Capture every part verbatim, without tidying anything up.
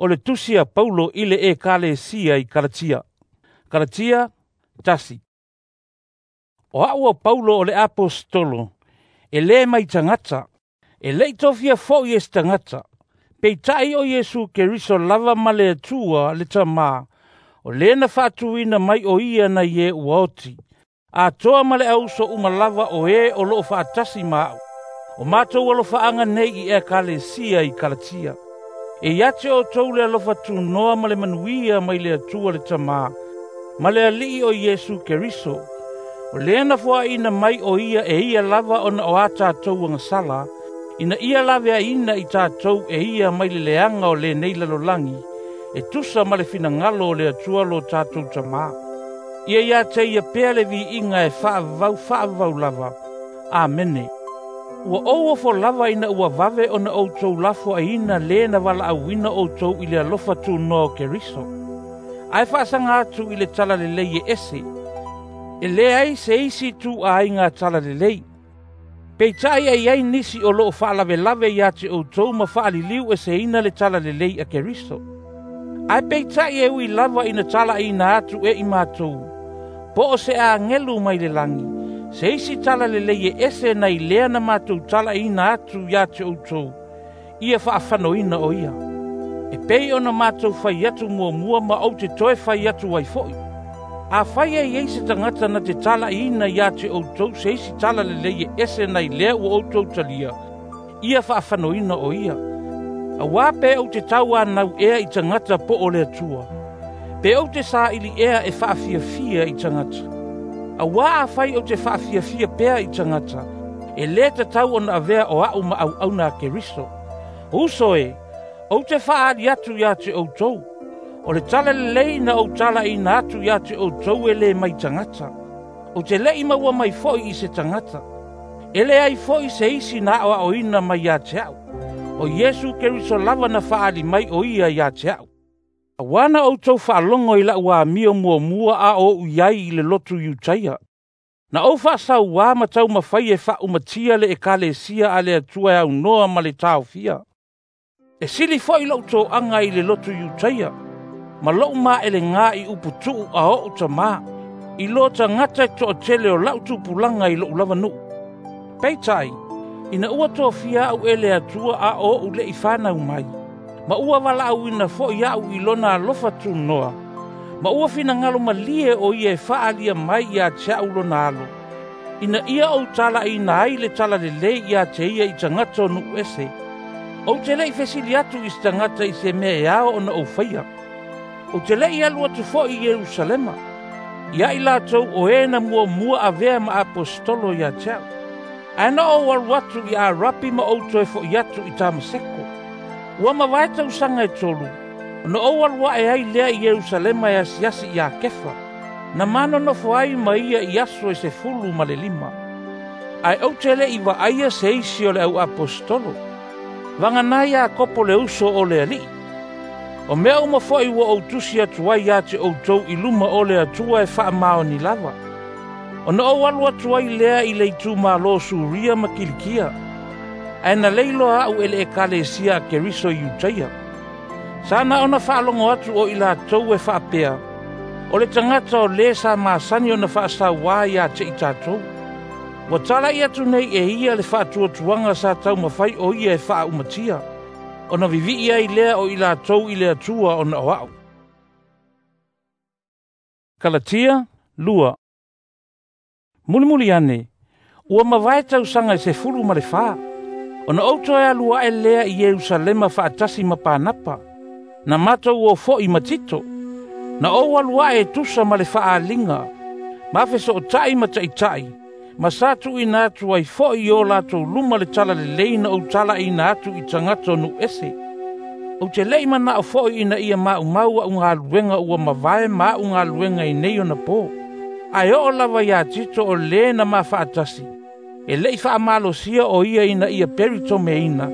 O le tusi a Paulo i le Ekalesia i Kalatia. Kalatia tasi. O a'u o Paulo o le aposetolo, e lē mai tagata, e le'i tofia fo'i e se tagata, peita'i o Iesu Keriso lava ma le Atua le Tamā, o lē na faatuina mai o ia nai e ua oti, atoa ma le auuso uma lava o e o lo'o fa'atasi ma a'u. O matou alofa'aga nei i Ekalesia i Kalatia. E ia te outou le alofa tunoa ma le manuia mai le Atua le Tamā, ma le Ali'i o Iesu Keriso, o lea na foaina mai o ia e ia lava ona o a tatou agasala, ina ia laveaiina i tatou e ia mai le leaga o lenei lalolagi, e tusa ma le finagalo o le Atua lo tatou Tamā. Ia ia te ia pea le viiga e faavavau faavavau lava. Amene. Ua ou ofo lava ina ua vave ona outou lafoaiina lē na valaauina outou i le alofa tunoa o Keriso. Ae faasaga atu i le talalelei e ese, e leai se isi tuuaiga talalelei. Peita'i e i ai nisi o lo'o faalavelave ia te outou ma faaliliu eseina le talalelei a Keriso. Ae peita'i e ui lava ina talaina atu e i matou, po o se agelu mai le lagi, se isi talalelei e ese nai lea na matou talaina atu ia te outou, ia faafanoina o ia. E pei ona matou fai atu muamua ma ou te toe fai atu ai fo'i. Afai e i ai se tagata na te talaina ia te outou se isi talalelei e ese nai lea ua outou talia, ia faafanoina o ia. Auā pe ou te tauanau ea i tagata po o le Atua, pe ou te saili ea e faafiafia i tagata. Auā afai ou te faafiafia pea i tagata, e lē tatau ona avea o a'u ma auauna a Keriso. Uso e, ou te faaali atu ia te outou, o le talalelei na ou talaina atu ia te outou e lē mai tagata. Ou te le'i maua mai fo'i i se tagata. E leai fo'i se isi na aoaoina mai ia te a'u. O Iesu Keriso lava na faaali mai o ia ia te a'u. Auā na outou faalogo i la'u amio muamua a o'u i ai i le lotu Iutaia. Na ou faasauā ma taumafai e faaumatia le Ekalesia a le Atua e aunoa ma le taofia. E sili fo'i lo'u toaga i le lotu Iutaia, ma lo'u maelegā i uputu'u a o'u tamā, i lo tagata e to'atele o la'u tupulaga i lo'u lava nu'u. Peita'i, ina ua tofia a'u e le Atua a o'u le'i fanau mai, ma ua valaauina fo'i a'u i lona alofa tunoa, ma ua finagalo malie o ia e faaalia mai ia te a'u lona alo, ina ia ou talaina ai le talalelei ia te ia i tagata o nu'u ese. Ou te le'i fesili atu i se tagata i se mea e ao ona ou faia. Ou te le'i alu atu fo'i i Ierusalema, ia i latou o e na muamua avea ma aposetolo ia te a'u. Ae na ou alu atu i Arapi ma ou toe fo'i atu i Tamaseko. Ua mavae tausaga e tolu, ona ou alu a'e ai lea i Ierusalema e asiasi iā Kefa, na ma nonofo ai ma ia i aso e sefulu ma le lima. Ae ou te le'i va'aia se isi o le au aposetolo, vaganā Iakopo le uso o le Ali'i. O mea uma fo'i ua ou tusi atu ai ia te outou i luma o le Atua e faamaoni lava. Ona ou alu atu ai lea i le itumālō Suria ma Kilikia, ae na leiloa a'u e le Ekalesia a Keriso i Iutaia. Sa na ona faalogo atu o i latou e faapea, o le tagata o lē sa masani ona faasauā ia te i tatou. Ua tala'i atu nei e ia le faatuatuaga sa taumafai o ia e faaumatia, ona vivi'i ai lea o i latou i le Atua ona o a'u. Kalatia lua. Mulimuli ane, ua mavae tausaga e sefulu ma le fā, ona ou toe alu a'e lea i Ierusalema fa'atasi ma Panapa, na matou o fo'i ma Tito. Na ou alu a'e e tusa ma le fa'aaliga, ma feso'ota'i ma ta'ita'i, ma sa tu'uina atu ai fo'i i o latou luma le talalelei na ou talaina atu i tagata o nu'u ese. Ou te le'i mana'o fo'i ina ia ma'umau a'u galuega ua mavae ma a'u galuega i nei ona pō. Ae oo lava iā Tito o lē na ma fa'atasi, e le'i fa'amalosia o ia ina ia peritomeina,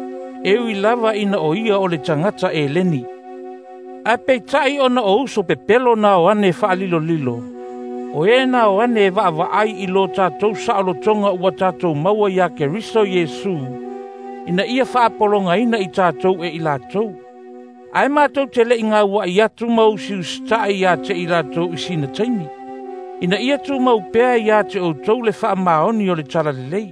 e ui lava ina o ia o le tagata Eleni. Ae peita'i ona o uso pepelo na o ane fa'alilolilo, o e na o ane e va'ava'ai i lo tatou sa'olotoga ua tatou maua iā Keriso Iesu, ina ia fa'apologaina i tatou e i latou. Ae matou te le'i gaua'i atu ma usiusita'i ia te i latou i sina taimi, ina ia tumau pea ia te outou le faamaoni o le Talalelei.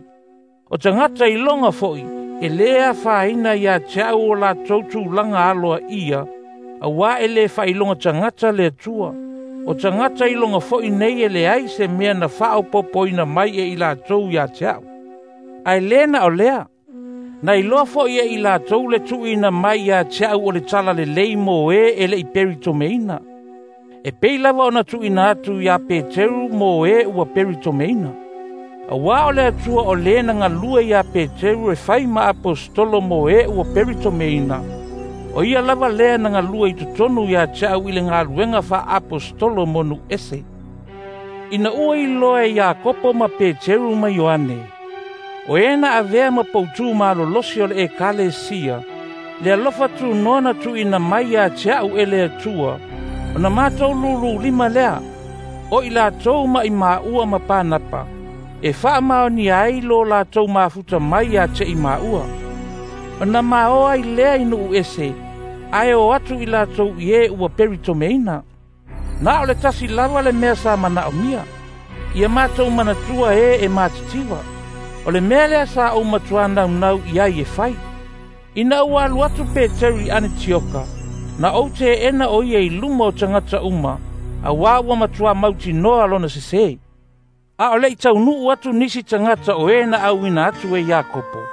O tagata iloga fo'i, e lē afaina ia te a'u o latou tulaga aloaia, auā e lē faailoga tagata le Atua. O tagata iloga fo'i nei e leai se mea na faaopopoina mai e i latou ia te a'u. Ae lē na o lea, na iloa fo'i e i latou le tuuina mai ia te a'u o le Talalelei mo e e le'i peritomeina, e pei lava ona tuuina atu iā Peteru mo e ua peritomeina. Auā o le Atua o lē na galue iā Peteru e fai ma aposetolo mo e ua peritomeina, o ia lava lea na galue i totonu ia te a'u i le galuega faaaposetolo mo nu'u ese. Ina ua iloa e Iakopo ma Peteru ma Ioane, o e na avea ma poutū malolosi o le Ekalesia, le alofa tunoa na tuuina mai ia te a'u e le Atua, ona matou lūlūlima lea, o i latou ma i māua ma Panapa, e faamaonia ai lo latou mafuta mai ia te i māua. Ona maoa ai lea i nu'u ese, ae o atu i latou i e ua peritomeina. Na o le tasi lava le mea sa mana'omia, ia matou manatua e e matitiva. O le mea lea sa ou matuā naunau i ai e fai. Ina ua alu atu Peteru i Anetioka, na ou te'ena o ia i luma o tagata uma, auā ua matuā mautinoa lona sesē. A o le'i taunu'u atu nisi tagata o e na auina atu e Iakopo,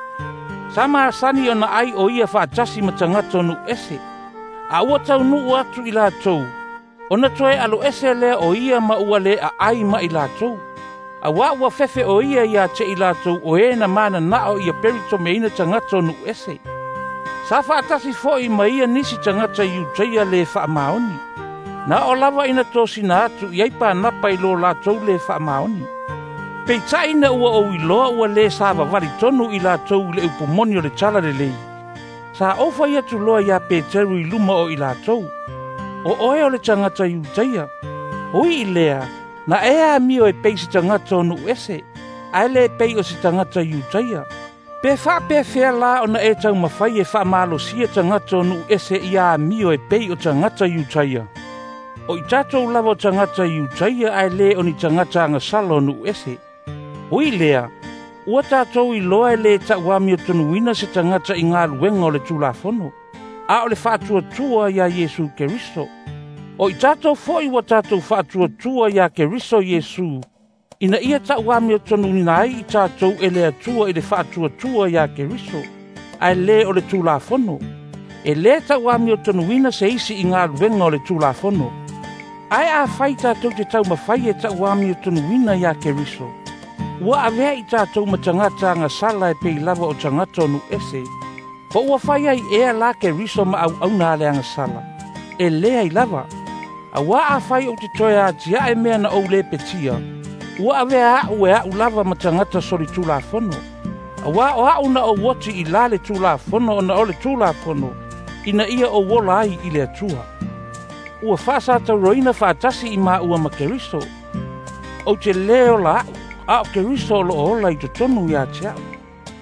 sa masani ona ai o ia faatasi ma tagata o nu'u ese. A ua taunu'u atu i latou, ona toe aloese lea o ia ma ua lē a'ai ma i latou. Auā ua fefe o ia ia te i latou o e na manana'o ia peritomeina tagata o nu'u ese. Sa faatasi fo'i ma ia nisi tagata Iutaia lē faamaoni. Na oo lava ina tosina atu i ai Panapa i lo latou lē faamaoni. Peita'i na ua ou iloa ua lē savavali tonu i latou i le upu moni o le Talalelei, sa ou fai atu loa iā Peteru i luma o i latou, o oe o le tagata Iutaia. Ui i lea, na e amio e pei se tagata o nu'u ese, ae lē pei o se tagata Iutaia. Pe faapeafea la ona e taumafai e faamalosia tagata o nu'u ese ia amio e pei o tagata Iutaia. O i tatou lava o tagata Iutaia ae lē o ni tagata agasala o nu'u ese. Ui lea, ua tatou iloa e lē ta'uamiotonuina se tagata i galuega o le Tulafono, a o le faatuatua iā Iesu Keriso. O i tatou fo'i ua tatou faatuatua iā Keriso Iesu, ina ia ta'uamiotonuina ai i tatou e le Atua i le faatuatua iā Keriso, ae lē o le Tulafono. E lē ta'uamiotonuina se isi i galuega o le Tulafono. Ae afai tatou te taumafai e ta'uamiotonuina iā Keriso, ua avea i tatou ma tagata agasala e pei lava o tagata o nu'u ese. Po ua fai ai ea la Keriso ma auauna a le agasala? E leai lava. Auā afai ou te toe atia'e mea na ou lepetia, ua avea a'u e a'u lava ma tagata solitulafono. Auā o a'u na ou oti i la le Tulafono ona o le Tulafono, ina ia ou ola ai i le Atua. Ua faasatauroina faatasi i māua ma Keriso. Ou te lē ola a'u, a o Keriso o lo'o ola i totonu iā te a'u.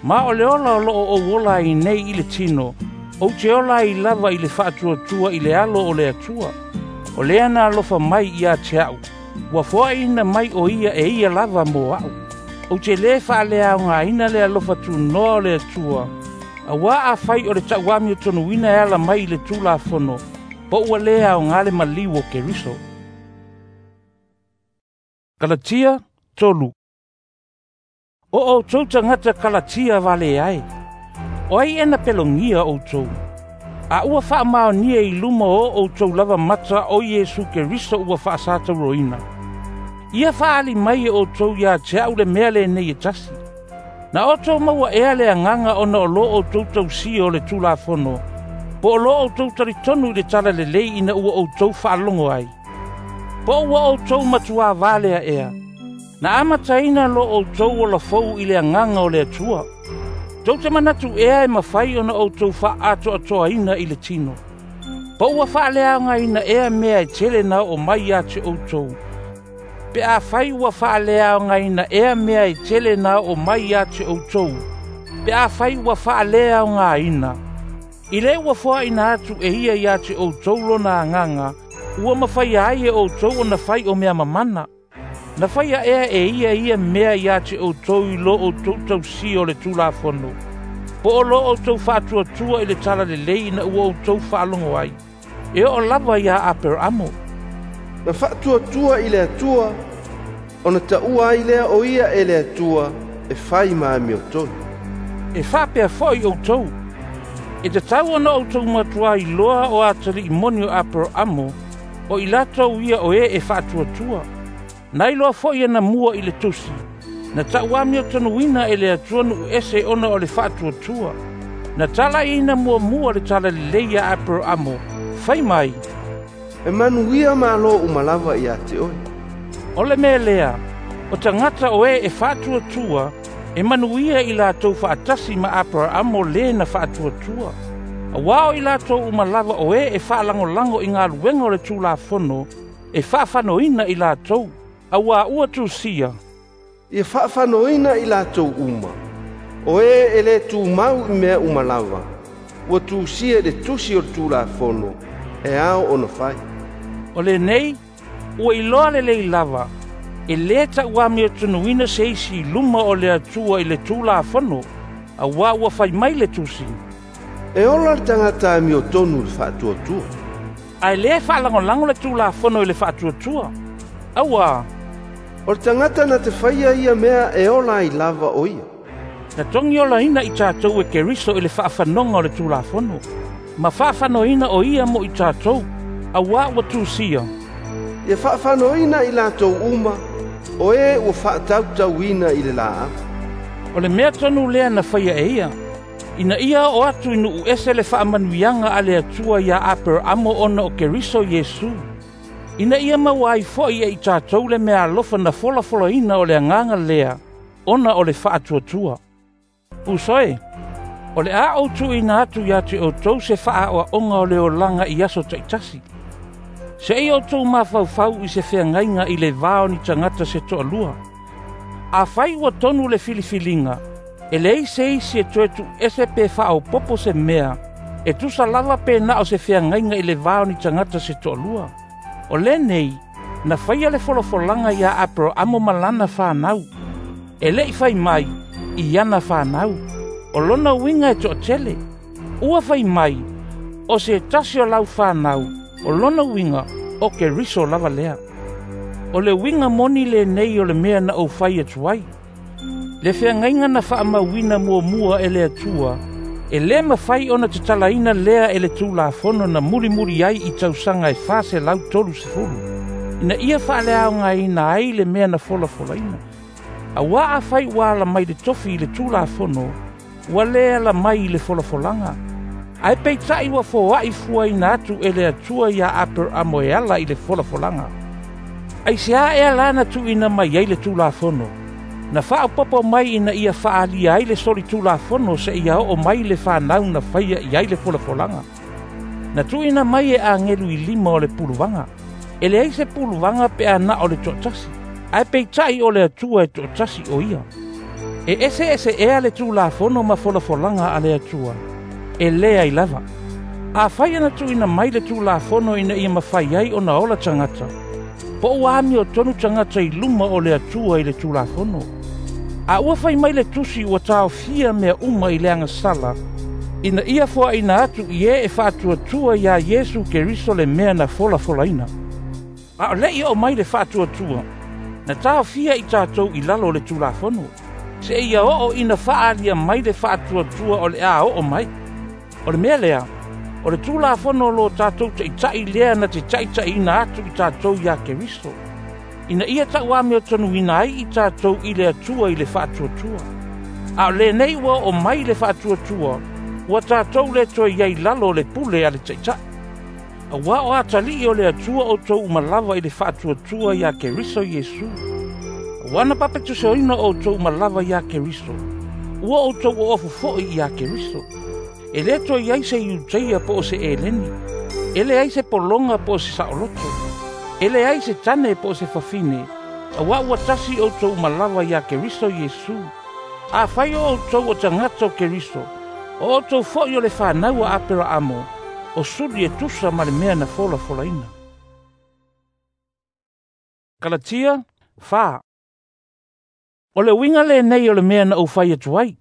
Ma o le ola o lo'o ou ola ai nei i le tino, ou te ola ai lava i le faatuatua i le alo o le Atua. O lea na alofa mai ia te a'u, ua foa'ina mai o ia e ia lava mo a'u. Ou te lē faaleaogaina le alofa tunoa o le Atua, auā afai o le ta'uamiotonuina e ala mai i le Tulafono, po ua lē aogā le maliu o Keriso. Kalatia tolu. O outou tagata Kalatia valea e, o ai e na pelogia outou? A ua faamaonia i luma o outou lava mata o Iesu Keriso ua faasatauroina. Ia faaali mai e outou ia te a'u le mea lenei e tasi. Na outou maua ea le agaga ona o lo outou tausia o le Tulafono, po o lo outou talitonu i le Talalelei ina ua outou faalogo ai? Po ua outou matuā valea ea? Na amataina lo outou ola fou i le agaga o le Atua. Tou te manatu ea e mafai ona outou fa'atoatoaina i le tino. Po ua faaleaogaina ea mea e tele na oo mai ia te outou? Pe afai ua faaleaogaina ea mea e tele na oo mai ia te outou, pe afai ua faaleaogaina, I le ua foaina atu e ia ia te outou lona agaga, ua mafaia ai e outou ona fai o mea mamana. Na faia ea e ia ia mea ia te outou i lo outou tausia o le Tulafono, po o lo outou faatuatua i le talalelei ina ua outou faalogo ai, e oo lava ia Aperamo. Na faatuatua i le Atua, ona taua ai lea o ia e le Atua e fai ma amiotonu. E faapea foi outou, e tatau ona outou matua iloa o atalii moni o Aperamo, o i latou ia o e e faatuatua. Na iloa foi e na mua i le tusi, na tauamiotonuina e le Atua nuu ese ona o le faatuatua. Na talaiina muamua le talalelei ia Aperamo, fai mai, e manuia malo uma lava ia te oe. O le mea lea, o tagata o e e faatuatua, e manuia i latou faatasi ma Aperamo le na faatuatua. Auā o i latou uma lava o e e faalagolago i galuega o le Tulafono, e faafanoina i latou, auā ua tusia, ia faafanoina i latou uma, o e e le tumau i mea uma lava, ua tusia i le tusi o le Tulafono, e ao ona fai. O lenei, ua iloa lelei lava, e lē tauamiotonuina se isi i luma o le Atua i le Tulafono, auā ua fai mai le tusi, e ola le tagata amiotonu i le faatuatua. Ae lē faalagolago le Tulafono i le faatuatua, auā o le tagata na te faia ia mea e ola ai lava o ia. Na togiolaina i tatou e Keriso i le faafanoga o le Tulafono, ma faafanoina o ia mo i tatou, auā ua tusia, ia faafanoina i latou uma, o e ua faatautauina i le laau. O le mea tonu lea na faia e ia, ina ia oo atu i nuu ese le faamanuiaga a le Atua ia Aperamo ona o Keriso Iesu, ina ia maua ai foi e i tatou le mea alofa na folafolaina o le agaga lea, ona o le faatuatua. Uso e, o le a ou tuuina atu ia te outou se faaoaoga o le olaga i aso taitasi. Seia outou mafaufau i se feagaiga i le va o ni tagata se toalua. Afai ua tonu le filifiliga, e leai se isi e toe tuuese pe faaopopo se mea, e tusa lava pe na o se feagaiga i le va o ni tagata se toalua. O lenei, na faia le folafolaga ia Aperamo ma lana fanau. E le'i fai mai, i ana fanau. O lona uiga e toatele. Ua fai mai, o se tasi o lau fanau, o lona uiga, o Keriso lava lea. O le uiga moni lenei o le mea na ou fai atu ai. Le feagaiga na faamauina muamua e le Atua, e lē mafai ona tatalaina lea e le Tulafono na mulimuli ai i tausaga e fa selau tolu sefulu, ina ia faaleaogaina ai le mea na folafolaina. Auā afai ua ala mai le tofi i le Tulafono, ua lē ala mai i le folafolaga. Ae peitai ua foa'i fuaina atu e le Atua ia Aperamo e ala i le folafolaga. Aisea ea la na tuuina mai ai le Tulafono? Na faaopopo mai ina ia faaalia ai le solitulafono seia oo mai le fanau na faia i ai le folafolaga. Na tuuina mai e agelu i lima o le puluvaga. E leai se puluvaga pe a na o le toatasi, ae peitai o le Atua e toatasi o ia. E eseese ea le Tulafono ma folafolaga a le Atua, e leai lava. Afai ana tuuina mai le Tulafono ina ia mafai ai ona ola tagata, po ua amiotonu tagata i luma o le Atua i le Tulafono. A ua fai mai le tusi ua taofia mea uma i le agasala, ina ia foaina atu i e e faatuatua ia Iesu Keriso le mea na folafolaina. A o le'i oo mai le faatuatua, na taofia i tatou i lalo o le Tulafono, seia oo ina faaalia mai le faatuatua o le a oo mai. O le mea lea, o le Tulafono lo tatou taita'i lea na te taita'iina atu i tatou ia Keriso, ina ia tauamiotonuina ai i tatou i le Atua i le faatuatua. A o lenei ua oo mai le faatuatua, ua tatou le toe i ai lalo o le pule a le taita'i. Auā o atalii o le Atua outou uma lava i le faatuatua ia Keriso Iesu. Auā na papetisoina outou uma lava ia Keriso, ua outou oofu foi ia Keriso. E lē toe i ai se Iuteia po o se Eleni, e leai se pologa po o se saoloto, e leai se tane po o se fafine, auā ua tasi outou uma lava ia Keriso Iesu. Afai o outou o tagata o Keriso, O outou fo'i o le fanau a Aperaamo, o suli e tusa ma le mea na folafolaina. Kalatia fa. O le uiga lenei o le mea na ou fai atu ai.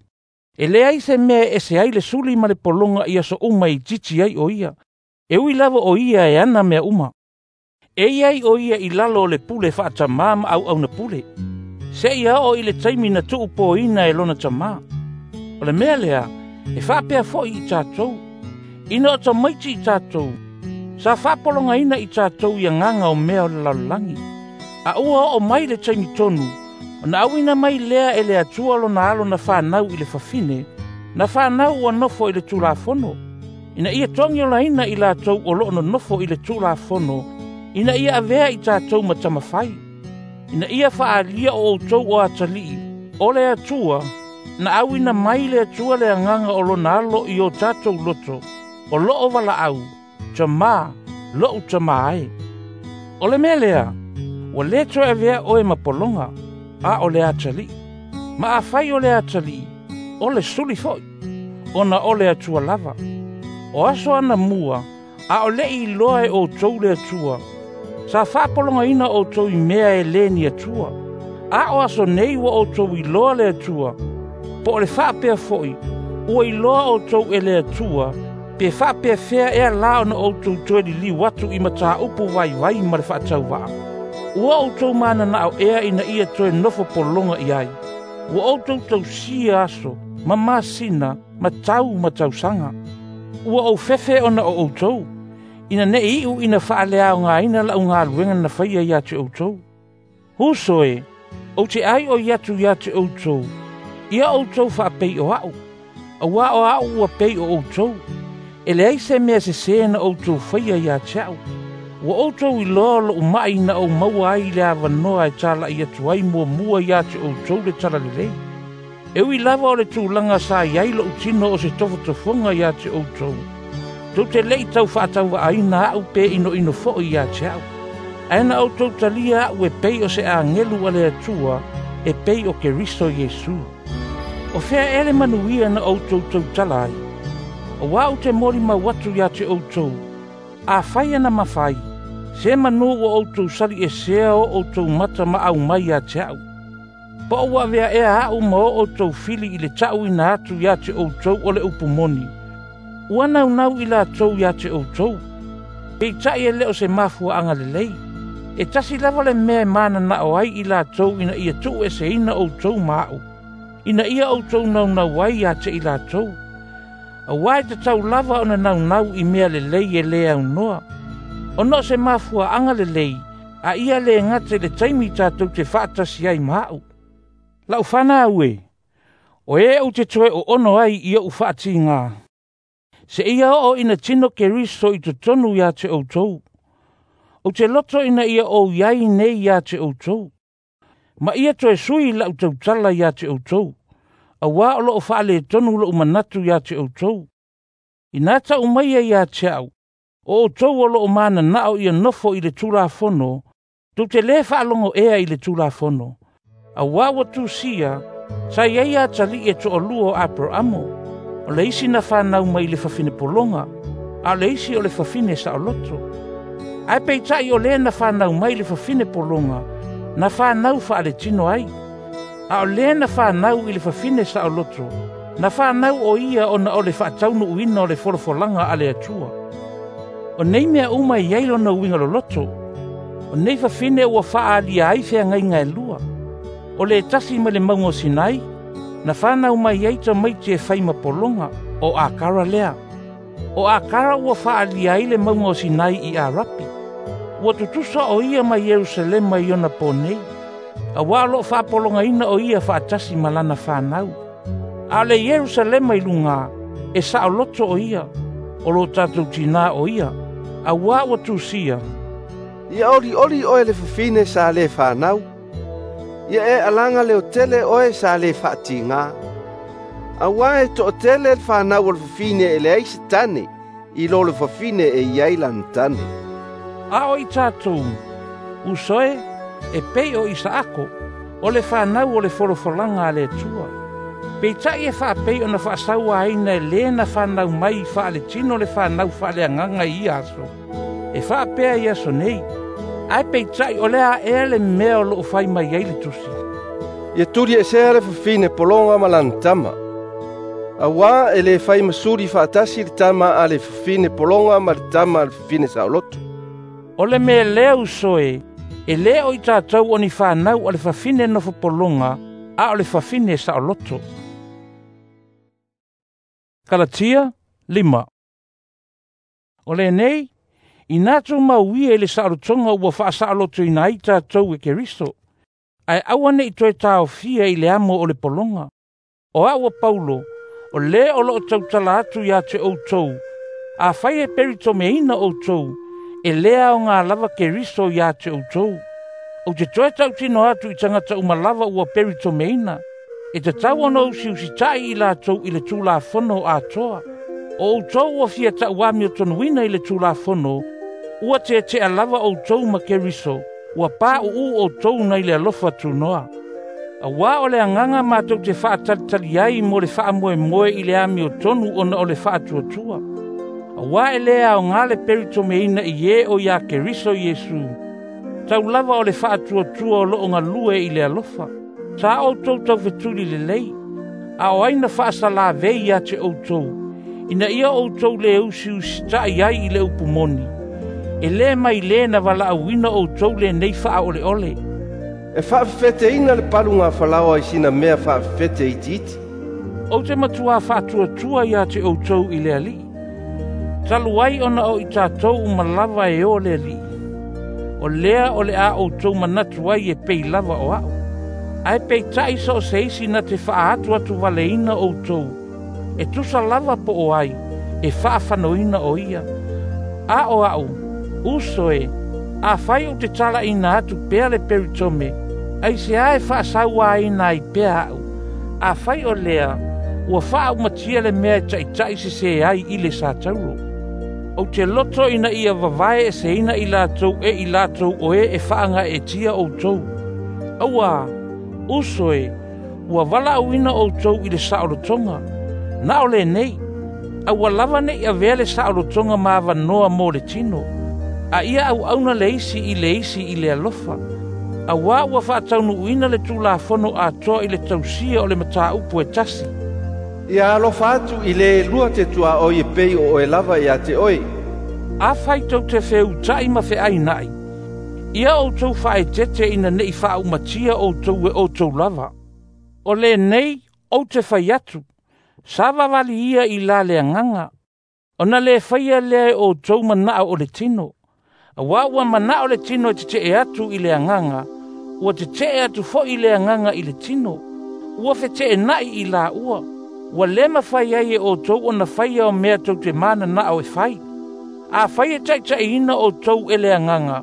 E leai se mea e ese ai le suli ma le pologa i aso uma e itiiti ai o ia. E ui lava o ia e ana mea uma. E iai o ia i lalo o le pule faatamā ma auauna pule. Seia oo i le taimi na tuupoina e lona tamā. O le mea lea, e faapea fo'i i tatou. Ina o tamaiti i tatou, sa faapologaina i tatou i agaga o mea o le lalolagi. A ua oo mai le taimi tonu, ona auina mai lea e le Atua lona alo na fanau i le fafine, na fanau ua nofo i le Tulafono, ina ia togiolaina i latou o loo nonofo i le Tulafono, ina ia avea i tatou ma tamafai, ina ia faaalia o outou o atalii, o le Atua, na auina mai le Atua le agaga o lona alo i o tatou loto, o loo valaau, tamā, lo'u tamā e. O le mea lea, ua lē toe avea oe ma pologa, a o le atalii. Ma afai o le atalii, o le suli fo'i, ona o le Atua lava. O aso anamua, a o le'i iloa e outou le Atua, sa faapologaina outou i mea e lē ni Atua. A o aso nei ua outou iloa le Atua, po o le faapea fo'i, ua iloa outou e le Atua, pe faapefea ea la ona outou toe liliu atu i mataupu vaivai ma le faatauvaa. Ua outou mananao ea ina ia toe nofo pologa i ai. Ua outou tausia aso, ma masina, ma tau ma tausaga. Ua ou fefe ona o outou, ina ne'i iu ina faaleaogaina la'u galuega na faia ia te outou. Uso e, ou te ai o ia atu ia te outou, ia outou faapei o a'u, auā o a'u ua pei o outou. E leai se mea sesē na outou faia ia te a'u. Ua outou iloa lo'u ma'i na ou maua ai i le avanoa e tala'i atu ai muamua ia te outou le talalelei. E ui lava o le tulaga sa i ai lo'u tino o se tofotofoga ia te outou. Tou te le'i tau faatauvaaina a'u pe inoino fo'i ia te a'u. Ae na outou talia a'u e pei o se agelu a le Atua, e pei o Keriso Iesu. O fea ea le manuia na outou tautala ai. Auā ou te molimau atu ia te outou, afai ana mafai, se manu ua outou saliʻesea o outou mata ma aumai ia te a'u. Po o ua avea ea a'u ma o outou fili i le ta'uina atu ia te outou o le upu moni. Ua naunau i latou ia te outou. Peita'i e lē o se mafuaaga lelei. E tasi lava le mea e mananao ai i latou ina ia tuueseina outou ma a'u. Ina ia outou naunau ai ia te i latou. Auā e tatau lava ona naunau i mea lelei e lē aunoa. Ona o se mafuaaga lelei, a ia lē gata i le taimi tatou te faatasi ai ma a'u. La'u fanau e, o e ou te toe oono ai i o'u faatigā. Seia oo ina tino Keriso i totonu ia te outou. Ou te loto ina ia ou iai nei ia te outou. Ma ia toe sui la'u tautala ia te outou. Auā o lo'o faaletonu lo'u manatu ia te outou. Ina ta'u maia ia te a'u, o outou o lo'o mananao ia nofo i le Tulafono, tou te lē faalogo ea i le Tulafono. Auā ua tusia, sa iai atali'i e to'alua o Aperaamo, o le isi na fanau mai i le fafine pologa, a o le isi o le fafine saoloto. Ae peita'i o lē na fanau mai i le fafine pologa, na fanau faaletino ai. A o lē na fanau i le fafine saoloto, na fanau o ia ona o le faataunuuina o le folafolaga a le Atua. O nei mea uma e iai lona uiga loloto. O nei fafine ua faaalia ai feagaiga e lua. O le tasi mai le mauga o Sinai, na fanau mai ai tamaiti e fai ma pologa, o Akara lea. O Akara ua faaalia ai le mauga o Sinai i Arapi. Ua tutusa o ia ma Ierusalema i ona po nei. Auā o loo faapologaina o ia faatasi ma lana fanau. A o le Ierusalema i lugā, e saoloto o ia, o lo tatou tinā o ia. Auā ua tusia, Ia olioli oe le fafine sa lē fanau. Ia e alaga leotele oe sa lē faatigā. Auā e to'atele le fanau o le fafine e leai se tane, i lo le fafine e iai lana tane. A o i tatou, uso e, e pei o Isaako, o le fanau o le folafolaga a le Atua. Peitai e faapei ona faasauaina e lē na fanau mai faaletino le fanau faaleagaga i ia aso, e faapea i aso nei. Ae peitai o le a ea le mea o loo fai mai ai le tusi. Ia tuliesea le fafine pologa ma lana tama. Auā e lē fai masuli faatasi le tama a le fafine pologa ma le tama a le fafine saoloto. O le mea lea uso e, e lē o i tatou o ni fanau a le fafine nofo pologa, a o le fafine saoloto. Kalatia lima. O lenei, ina tumauia i le saolotoga ua faasaolotoina ai tatou e Keriso, ae aua nei toe taofia i le amo o le pologa. O au o Paulo, o lē o loo tautala atu ia te outou, afai e peritomeina outou, e lē aogā lava Keriso ia te outou. Ou te toe tautino atu i tagata uma lava ua peritomeina, e tatau ona usiusita'i i latou i le Tulafono atoa. O outou ua fia tauamiotonuina i le Tulafono, ua tetea lava outou ma Keriso, ua pauu outou nai le alofa tunoa. Auā o le agaga matou te faatalitali ai mo le faamoemoe i le amiotonu ona o le faatuatua. Auā e lē aogā le peritomeina i e o iā Keriso Iesu, tau lava o le faatuatua o loo galue i le alofa. Sa outou taufetuli lelei, a o ai na faasalavei ia te outou, ina ia outou lē usiusita'i ai i le upu moni. E lē mai lē na valaauina outou lenei faaoleole. E faafefeteina le palugafalaoa i sina mea faafefete itiiti. Ou te matuā faatuatua ia te outou i le Alii. Talu ai ona o i tatou uma lava e o le Alii. O lea o le a outou manatu ai e pei lava o au. Ae peitai so o se isi na te faaatu atu valeina outou, e tusa lava po o ai, e faafanoina o ia. A o au, uso e, afai ou te talaina atu pea le peritome, aisea e faasauaina ai pea au. Afai o lea, ua faaumatia le mea e taʻitaʻi sesē ai i le satauro. Ou te loto ina ia vavae eseina i latou e i latou o e e faagaeetia outou. Auā, uso e, ua valaauina outou i le saolotoga. Na o lenei, aua lava nei avea le saolotoga ma avanoa mo le tino. A ia auauna le isi i le isi i le alofa. Auā ua faataunuuina le Tulafono atoa i le tausia o le mataupu e tasi. Ia alofa atu i le lua te tuaoi e pei o oe lava ia te oe. Afai tou te feuta'i ma feaina'i, ia outou faaetete ina nei faaumatia outou e outou lava. O lenei ou te fai atu, savavali ia i la le agaga, ona lē faia lea e outou manao o le tino. Auā ua manao le tino e tetee atu i le agaga, ua tetee atu fo'i le agaga i le tino. Ua feteena'i i laua, ua lē mafai ai e outou ona faia o mea tou te mananao e fai. Afai e taʻitaʻiina outou e le agaga,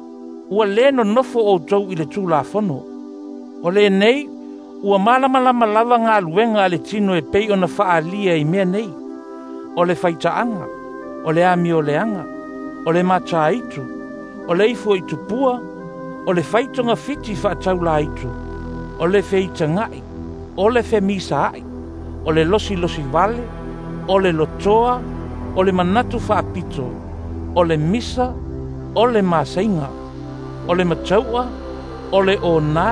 ua lē nonofo outou i le Tulafono. O lenei, ua malamalama lava galuega a le tino e pei ona faalia i mea nei. O le faitaaga, o le amioleaga, o le matāitu, o le ifo i tupua, o le faitogafiti faataulaitu, o le feitagaʻi, o le femisaaʻi, o le losilosi vale, o le lotoa, o le manatu faapito, o le misa, o le masaiga, o le matau'a, o le onā,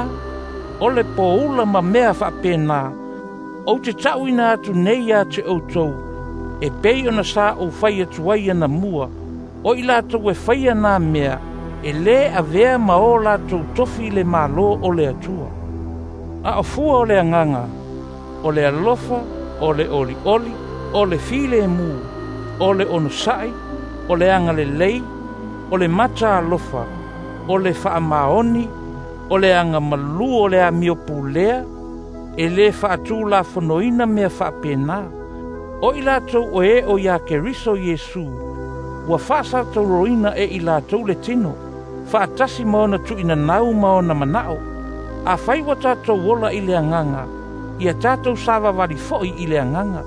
o le poula ma mea faapena. Ou te taʻuina atu nei ia te outou, e pei ona sa ou fai atu ai anamua, o i latou e faia nā mea, e lē avea ma o latou tofi i le Mālō o le Atua. A o fua o le agaga, o le alofa, o le olioli, o le filemu, o le onosaʻi, o le agalelei, o le mata alofa, o le faamaoni, o le agamalū o le amiopulea, e lē faatulafonoina mea faapena. O i latou o e o iā Keriso Iesu, ua faasatauroina e i latou le tino, faatasi ma ona tuuinanau ma ona manao. Afai ua tatou ola i le agaga, ia tatou savavali foʻi i le agaga.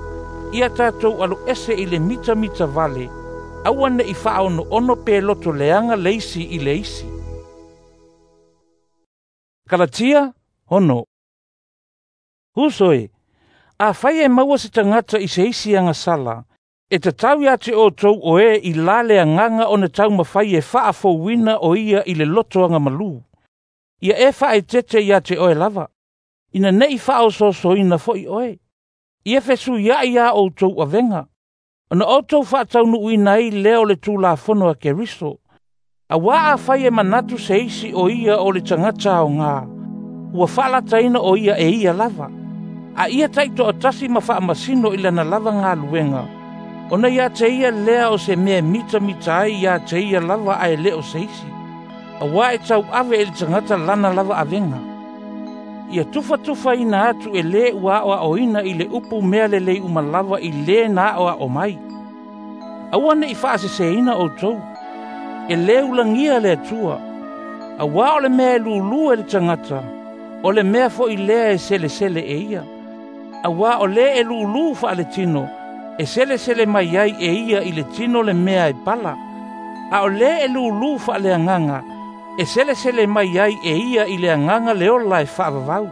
Ia tatou aloese i le mitamita vale, aua nei faaonoono pe loto leaga le isi i le isi. Kalatia ono. Uso e, Afai e maua se tagata i se isi agasala, e tatau ia te outou o e i la le agaga ona taumafai e faafouina o ia i le loto agamalu. Ia e faaeteete ia te oe lava, ina nei faaosoosoina foi oe. Ia fesuiai a outou avega, ona outou faataunuuina ai lea o le Tulafono a Keriso. Auā afai e manatu se isi o ia o le tagata aogā, ua faalataina o ia e ia lava. A ia taitoatasi ma faamasino i lana lava galuega, ona ia te ia lea o se mea e mitamita ai ia te ia lava ae le o se isi. Auā e tauave e le tagata lana lava avega. Ia tufatufaina atu e lē ua aoaoina i le upu mea lelei uma lava i lē na aoao mai. Aua ne i faaseseina outou, e lē ulagia le Atua. Auā o le mea e lūlū e le tagata, o le mea foi lea e selesele e ia. Auā o lē e lūlū faaletino, e selesele mai ai e ia i le tino le mea e pala. A o lē e lūlū faaleagaga, e selesele mai ai e ia i le agaga le ola e faavavau.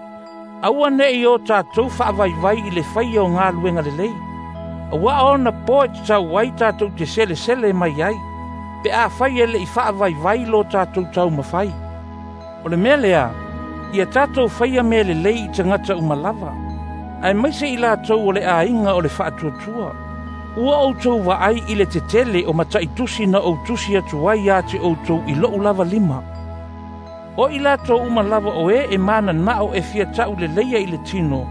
Aua ne i o tatou faavaivai i le faia o galuega lelei. Auā ona po e tatau ai tatou te selesele mai ai, pe afai e le'i faavaivai lo tatou taumafai. O le mea lea, ia tatou faia mea lelei i tagata uma lava, aemaise i latou o le aiga o le faatuatua. Ua outou vaai i le tetele o mataitusi na ou tusi atu ai ia te outou i lou lava lima. O i latou uma lava o e e mananao e fia tauleleia i le tino,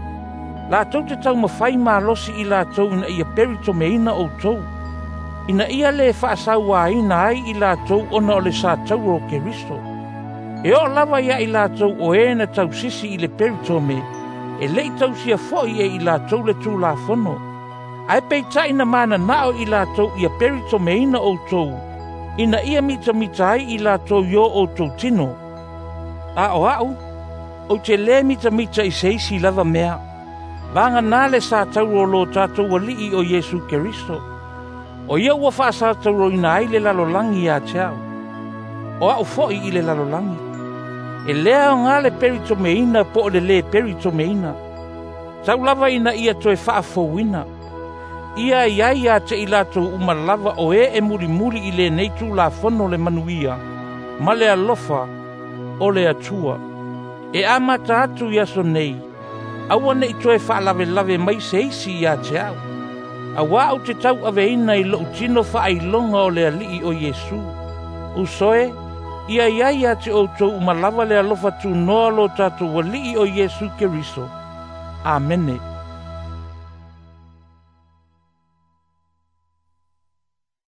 latou te taumafai malosi i latou ina ia peritomeina outou, ina ia lē faasauaina ai i latou ona o le sataua o Keriso. E oo lava ia i latou o e na tausisi i le peritome, e le'i tausia foi e i latou le Tulafono. Ae peitai na mananao i latou ia peritomeina outou, ina ia mitamita ai i latou i o outou tino. A o a'u, ou te lē mitamita i se isi lava mea, vagana le sataua o lo tatou Alii o Iesu Keriso. O ia ua faasatauroina ai le lalolagi ia te a'u, o a'u foi i le lalolagi. E lē aogā le peritomeina po o le lē peritomeina, tau lava ina ia toe faafouina. Ia i ai ia te i latou uma lava o e e mulimuli i lenei Tulafono le manuia ma le alofa o le Atua. E amata atu i aso nei, aua ne i toe faalavelave mai se isi ia te a'u. Auā ou te tauaveina i lou tino faailoga o le Alii o Iesu. Uso e, ia i ai ia te outou uma lava le alofa tunoa lo tatou Alii o Iesu Keriso. Amene.